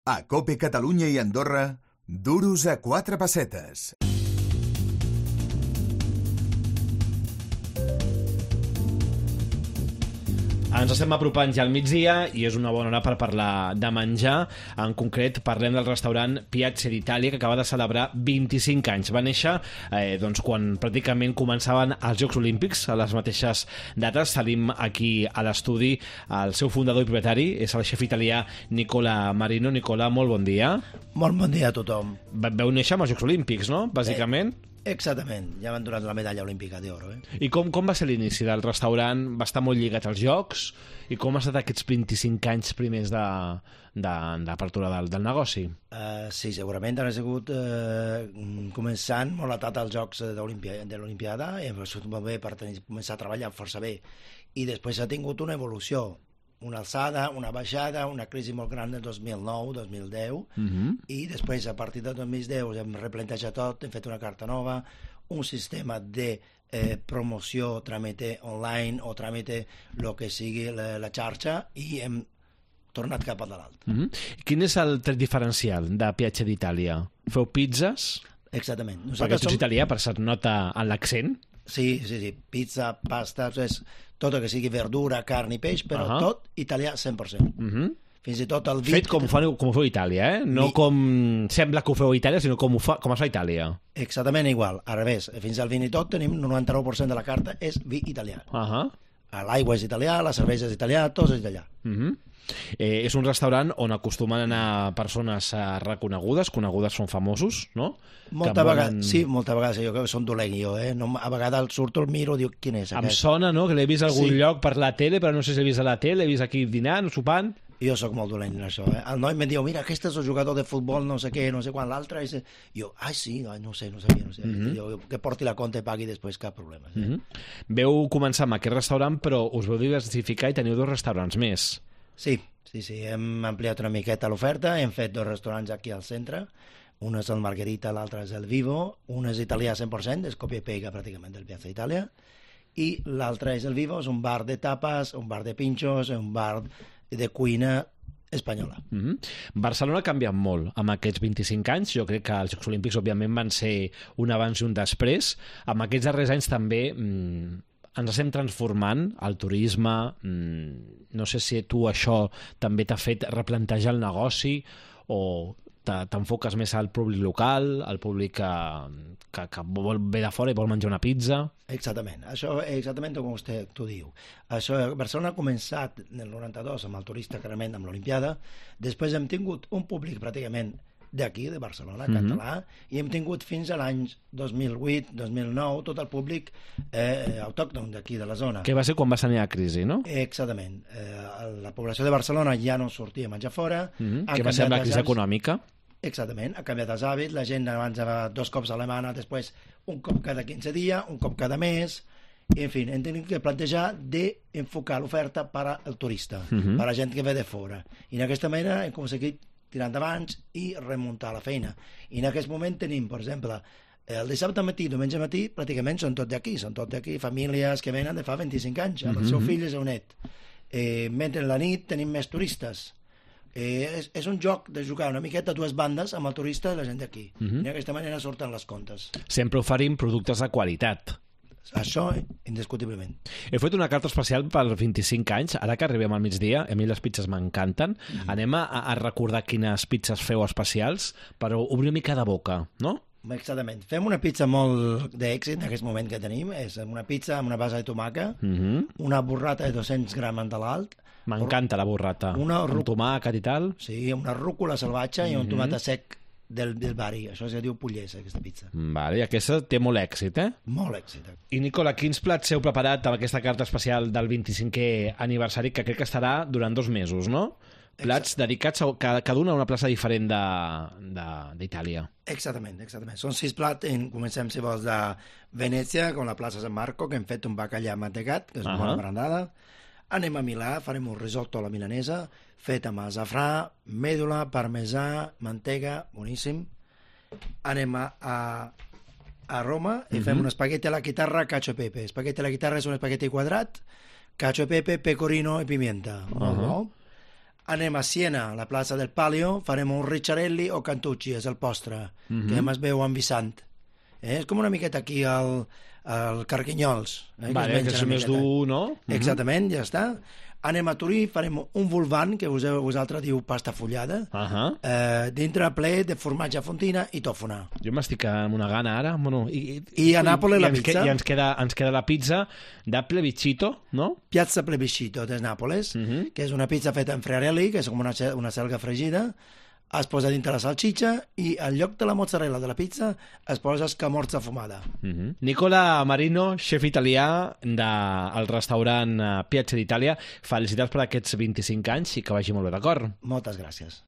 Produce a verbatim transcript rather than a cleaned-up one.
A COPE Catalunya i Andorra, duros a quatre pessetes. Ens estem apropant ja al migdia i és una bona hora per parlar de menjar. En concret, parlem del restaurant Piazza d'Itàlia, que acaba de celebrar vint-i-cinc anys. Va néixer eh, doncs, quan pràcticament començaven els Jocs Olímpics, a les mateixes dates. Tenim aquí a l'estudi el seu fundador i propietari, és el xef italià Nicola Marino. Nicola, molt bon dia. Molt bon dia a tothom. Veu néixer amb els Jocs Olímpics, no?, bàsicament. Eh, exactament, ja m'han donat la medalla olímpica d'oro. Eh? I com, com va ser l'inici del restaurant? Va estar molt lligat als Jocs? I com ha estat aquests vint-i-cinc anys primers d'apertura de, de, del, del negoci? Uh, sí, segurament ha sigut uh, començant molt atat als Jocs de l'Olimpiada i ha sigut molt bé per tenir, començar a treballar força bé. I després ha tingut una evolució, una alçada, una baixada, una crisi molt gran del dos mil nou dos mil deu, uh-huh. I després, a partir del dos mil deu, hem replantejat tot, hem fet una carta nova, un sistema de eh, promoció, tràmite online o tràmite el que sigui la, la xarxa, i hem tornat cap a dalt. Uh-huh. Quin és el tret diferencial de Piazza d'Itàlia? Feu pizzas? Exactament. Nosaltres Perquè tu ets som... italià, per se't nota en l'accent? Sí, sí, sí. Pizza, pasta, és tot el que sigui verdura, carn i peix, però uh-huh. tot italià cent per cent. Uh-huh. Fins i tot el vi... Fet com, fa, com ho feu a Itàlia, eh? No vi... com sembla que ho feu a Itàlia, sinó com, ho fa, com es fa a Itàlia. Exactament igual. Al revés, fins al vin i tot tenim noranta-nou per cent de la carta és vi italià. Uh-huh. L'aigua és italià, la cervesa és italià, tot és italià. Uh-huh. Eh, és un restaurant on acostumen a anar persones eh, reconegudes, conegudes, són famosos, no? Molta vegada, volen... sí, molta vegada, jo crec que són dolent jo, eh? No, a vegades surto el miro i diu, quin és aquest? Em sona, no?, que l'he vist a algun sí. lloc per la tele, però no sé si l'he vist a la tele, l'he vist aquí dinant, sopant... Jo sóc molt dolent en això, eh? El noi em diu, mira, aquest és el jugador de futbol, no sé què, no sé quan, l'altre... I jo, ai, sí, ai, no sé, no sabia, no sé. Mm-hmm. Jo, que porti la compta i pagui després, cap problema. Sí? Mm-hmm. Veu començar amb aquest restaurant, però us veu diversificar i teniu dos restaurants més. Sí, sí, sí, hem ampliat una miqueta l'oferta, hem fet dos restaurants aquí al centre, un és el Margherita, l'altre és el Vivo, un és italià cent per cent, és còpia i pega pràcticament del Piazza Itàlia, i l'altre és el Vivo, és un bar de tapes, un bar de pinxos, un bar de cuina espanyola. Mm-hmm. Barcelona ha canviat molt amb aquests vint-i-cinc anys. Jo crec que els Jocs Olímpics, òbviament, van ser un abans i un després. Amb aquests darrers anys també... Mmm, ens estem transformant, el turisme, mmm, no sé si tu això també t'ha fet replantejar el negoci o t'enfoques més al públic local, al públic que, que, que vol ve de fora i vol menjar una pizza. Exactament, això és exactament com vostè t'ho diu. Això, Barcelona ha començat en el noranta-dos amb el turista, clarament, amb l'Olimpiada, després hem tingut un públic pràcticament d'aquí, de Barcelona, mm-hmm. català, i hem tingut fins a l'any dos mil vuit dos mil nou tot el públic eh, autòcton d'aquí, de la zona. Que va ser quan va tenir la crisi, no? Exactament. Eh, la població de Barcelona ja no sortia a menjar fora. Mm-hmm. Que va ser la crisi econòmica. Exactament, ha canviat els hàbits, la gent abans va dos cops a la setmana, després un cop cada quinze dies, un cop cada mes, i en fi, hem tingut que plantejar d'enfocar l'oferta per al turista, mm-hmm. per a la gent que ve de fora. I d'aquesta manera hem aconseguit tirar endavant i remuntar la feina. I en aquest moment tenim, per exemple, el dissabte matí, diumenge matí, pràcticament són tots d'aquí, són tots d'aquí, famílies que venen de fa vint-i-cinc anys, amb el seu fill i el seu net. Eh, mentre en la nit tenim més turistes. Eh, és, és un joc de jugar una miqueta a dues bandes amb el turista i la gent d'aquí. Uh-huh. I d'aquesta manera surten les comptes. Sempre oferim productes de qualitat. Això, indiscutiblement. He fet una carta especial per vint-i-cinc anys, ara que arribem al migdia, a mi les pizzas m'encanten. Mm. Anem a, a recordar quines pizzas feu especials, però obrir una mica de boca, no? Exactament. Fem una pizza molt d'èxit en aquest moment que tenim. És una pizza amb una base de tomaca, mm-hmm. una burrata de dos-cents grams de l'alt. M'encanta la burrata. Una rú... Amb tomàquet i tal. Sí, una rúcula salvatge mm-hmm. i un tomàquet sec del, del bari. Això es diu Pugliese, aquesta pizza. Vale, i aquesta té molt èxit, eh? Molt èxit. I Nicola, quins plats heu preparat amb aquesta carta especial del vint-i-cinquè aniversari, que crec que estarà durant dos mesos, no? Plats Exacte. dedicats a cada, cada una a una plaça diferent d'Itàlia. Exactament, exactament. Són sis plats, comencem, si vols, de Venècia, com la plaça San Marco, que hem fet un bacallà mantecat, que és uh-huh. molt brandada. Anem a Milà, farem un risotto a la milanesa, fet amb azafrà, mèdula, parmesà, mantega, boníssim. Anem a, a, a Roma i uh-huh. fem un espagueti a la chitarra, cacio e pepe. Espagueti a la chitarra és un espagueti quadrat, cacio e pepe, pecorino i pimienta. Uh-huh. Molt bo. Anem a Siena, a la plaça del Palio, farem un ricciarelli o cantucci, és el postre, Mhm. que es veu amb vissant. Eh? És com una miqueta aquí al, al Carquinyols. Eh? Vale, es que menja és una més miqueta. dur, no? Mhm. Exactament, ja està. Anem a Turí, farem un vulvan, que vos- vosaltres diu pasta fullada, Ahà. eh, dintre ple de formatge a fontina i tòfona. Jo m'estic amb una gana ara. Bueno, i, I a Nàpoles la ens pizza? Que, I ens queda, ens queda la pizza de plebiscito, no? Piazza Plebiscito de Nàpoles, Mhm. que és una pizza feta en frearelli, que és com una, ce- una selga fregida, es posa dintre la salxitxa i al lloc de la mozzarella de la pizza es posa escamorza fumada. Mhm. Nicola Marino, xef italià del restaurant eh, Piazza d'Itàlia. Felicitats per aquests vint-i-cinc anys i que vagi molt bé, d'acord? Moltes gràcies.